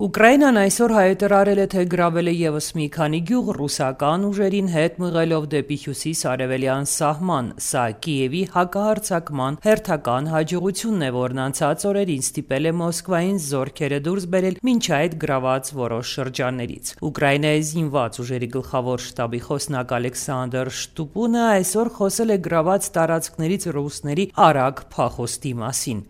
Ուկրաինան այսօր հայտարարել է, թե գրավել է ևս մի քանի գյուղ ռուսական ուժերին հետ մղելով դեպի հյուսիս-արևելյան սահման։ Սա Կիևի հակահարձակման հերթական հաջողությունն է, որն անցած օրերին ստիպել է Մոսկվային զորքերը դուրս բերել մինչ այդ գրաված որոշ շրջաններից։ Ուկրաինայի զինված ուժերի գլխավոր շտաբի խոսնակ Ալեքսանդր Շտուպունը այսօր խոսել է գրաված տարածքներից ռուսների արագ փախոստի մասին։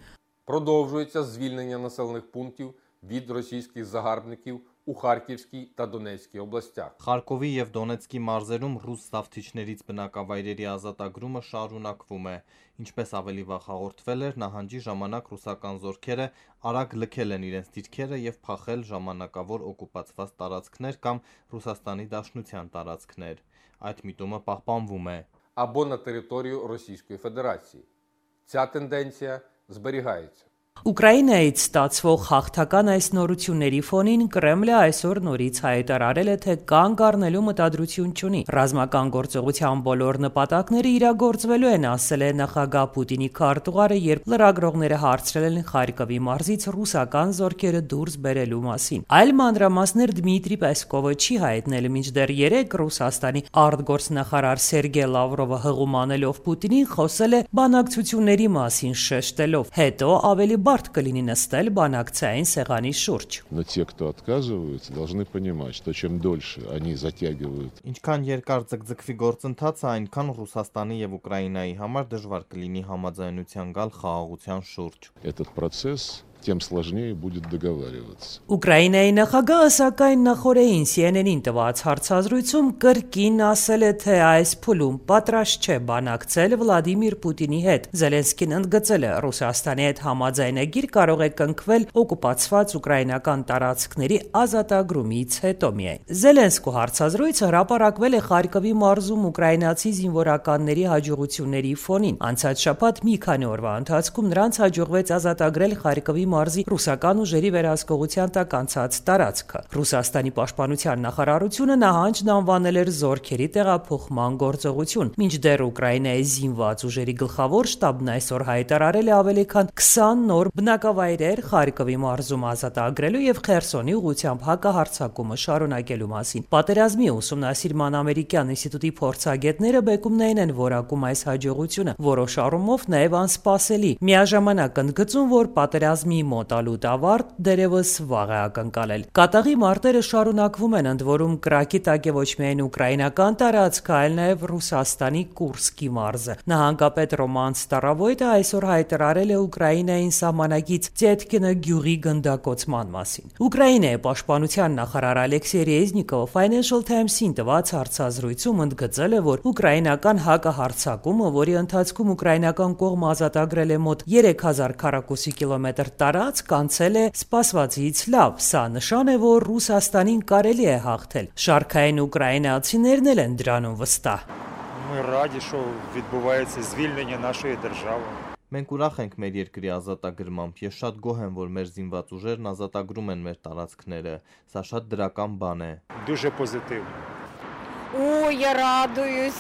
Продовжується звільнення населених пунктів від російських загарбників у Харківській та Донецькій областях. Խարկովի եւ Դոնեցկի մարզերում ռուս զավթիչներից բնակավայրերի ազատագրումը շարունակվում է։ Ինչպես ավելի վաղ հաղորդվել էր, նահանջի ժամանակ ռուսական զորքերը արագ լքել են իրենց դիրքերը եւ փախել ժամանակավոր օկուպացված տարածքներ կամ Ռուսաստանի Դաշնության տարածքներ։ Այդ միտումը պահպանվում է։ Або на територію Російської Федерації. Ця тенденція зберігається. Ուկրաինայից ստացվող հաղթական այս նորությունների ֆոնին Կրեմլը այսօր նորից հայտարարել է, թե կանգ առնելու մտադրություն չունի։ Ռազմական գործողության բոլոր նպատակները իրագործվելու են, ասել է նախագահ Պուտինի քարտուղարը, երբ լրագրողները հարցրել են Խարկովի մարզից ռուսական զորքերը դուրս բերելու մասին։ Այլ մանրամասներ Դմիտրի Պեսկովը չի հայտնել, մինչդեռ երեկ Ռուսաստանի արտգործնախարար Սերգեյ Լավրովը հղում անելով Պուտինին խոսել է բանակցությունների մասին, շեշտելով. հետո ավելի բարդ կլինի նստել բանակցային սեղանի շուրջ։ Но те, кто отказываются, должны понимать, что чем дольше они затягивают. Ինչքան երկար ձգձգվի գործընթացը, այնքան Ռուսաստանի եւ Ուկրաինայի համար դժվար կլինի համաձայնության գալ խաղաղության շուրջ։ Этот процесс, тем сложнее будет договариваться. Ուկրաինայի նախագահը սակայն նախորդին CNN-ին տված հարցազրույցում կրկին ասել է, թե այս փուլում պատրաստ չէ բանակցել Վլադիմիր Պուտինի հետ։ Զելենսկին ընդգծել է, Ռուսաստանի հետ համաձայնագիր կարող է կնքվել օկուպացված ուկրաինական տարածքների ազատագրումից հետո միայն։ Զելենսկու հարցազրույցը հրապարակվել է Խարկովի մարզում ուկրաինացի զինվորականների հաջողությունների ֆոնին։ Անցած շաբաթ մի քանի օրվա ընթացքում նրանց հաջողվեց ազատագրել Խարկովի մարզի ռուսական ուժերի վերահսկողության տակ անցած տարածքը։ Ռուսաստանի պաշտպանության նախարարությունը նահանջն անվանել էր զորքերի տեղափոխման գործողություն, մինչդեռ Ուկրաինայի զինված ուժերի գլխավոր շտաբն այսօր հայտարարել է ավելի քան 20 նոր բնակավայրեր Խարկովի մարզում ազատագրելու եւ Խերսոնի ուղղությամբ հակահարձակումը շարունակելու մասին։ Պատերազմի ուսումնասիրման ամերիկյան ինստիտուտի փորձագետները բեկումնային են որակում այս հաջողությունը, որոշ առումով նաեւ անսպասելի։ Միաժամանակ ընդգծում, որ պատերազմի մոտալուտ ավարտ դերևս վաղ է ակնկալել։ Կատաղի մարտերը շարունակվում են, ընդ որում կրակի տակ է ոչ միայն ուկրաինական տարածքը, այլ նաև Ռուսաստանի Կուրսկի մարզը։ Նահանգապետ Ռոման Ստարավոյտը այսօր հայտարարել է Ուկրաինային սահմանակից Տետկինը գյուղի գնդակոծման մասին։ Ուկրաինայի պաշտպանության նախարար Ալեքսեյ Ռեզնիկովը Financial Times-ին տված հարցազրույցում ընդգծել է, որ ուկրաինական հակահարձակումը, որի ընթացքում ուկրաինական կողմը ազատագրել է մոտ 3000 քառակուսի կիլոմետր տարածք, անցել է սպասվածից լավ։ Սա նշան է, որ Ռուսաստանին կարելի է հաղթել։ Շարքային ուկրաինացիներն էլ են դրանում վստահ։ Ми раді, що відбувається звільнення нашої держави. Մենք ուրախ ենք մեր երկրի ազատագրմամբ։ Ես շատ գոհ եմ, որ մեր զինված ուժերն ազատագրում են մեր տարածքները։ Սա շատ դրական բան է։ Дуже позитивно. Ой, я радуюсь,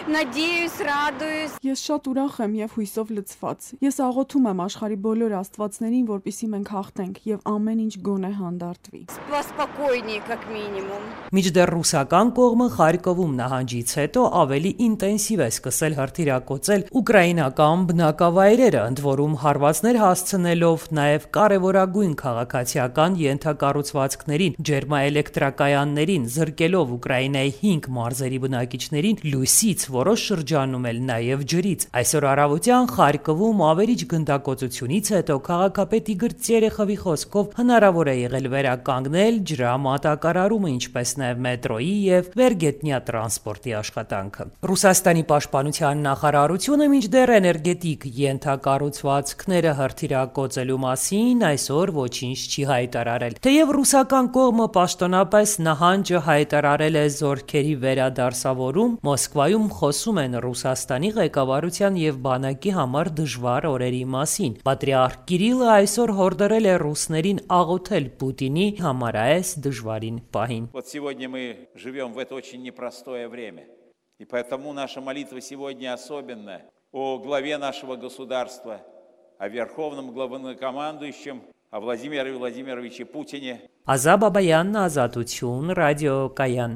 надеюсь, радуюсь. Ես շատ ուրախ եմ եւ հույսով լցված։ Ես աղոթում եմ աշխարհի բոլոր աստվածներին, որպեսզի մենք հաղթենք եւ ամեն ինչ գոնե հանդարտվի։ Спокойнее, как минимум. Միջդեռ ռուսական կողմը Խարկովում նահանջից հետո ավելի ինտենսիվ է սկսել հրթիռակոծել ուկրաինական բնակավայրերը, ընդ որում հարվածներ հասցնելով նաեւ կարևորագույն քաղաքացիական ենթակառուցվածքներին, ջերմաէլեկտրակայաններին, զրկելով Ուկրաինայի 5 մարզերի բնակիչներին լույսից, որոշ շրջանում էլ նաև ջրից։ Այսօր առավոտյան Խարկովում ավերիչ գնդակոծությունից հետո քաղաքապետ Իգոր Տերեխովի խոսքով հնարավոր է եղել վերականգնել ջրամատակարարումը, ինչպես նաև մետրոյի եւ վերգետնյա տրանսպորտի աշխատանքը։ Ռուսաստանի պաշտպանության նախարարությունը մինչդեռ էներգետիկ ենթակառուցվածքները հրթիռակոծելու մասին այսօր ոչինչ չի հայտարարել։ Թեև ռուսական կողմը պաշտոնապես նահանջը հայտարարել է զորքերի վերադարձավորում, Մոսկվայում խոսում են Ռուսաստանի ղեկավարության եւ բանակի համար դժվար օրերի մասին։ Պատրիարք Կիրիլը այսօր հորդորել է ռուսներին աղոթել Պուտինի համար այս դժվարին պահին։ Вот сегодня мы живем в это очень непростое время. И поэтому наша молитва сегодня особенная о главе нашего государства, о верховном главнокомандующем о Владимире Владимировиче Путине. Ազա Բաբայանն, Ազատություն, ռադիոկայան։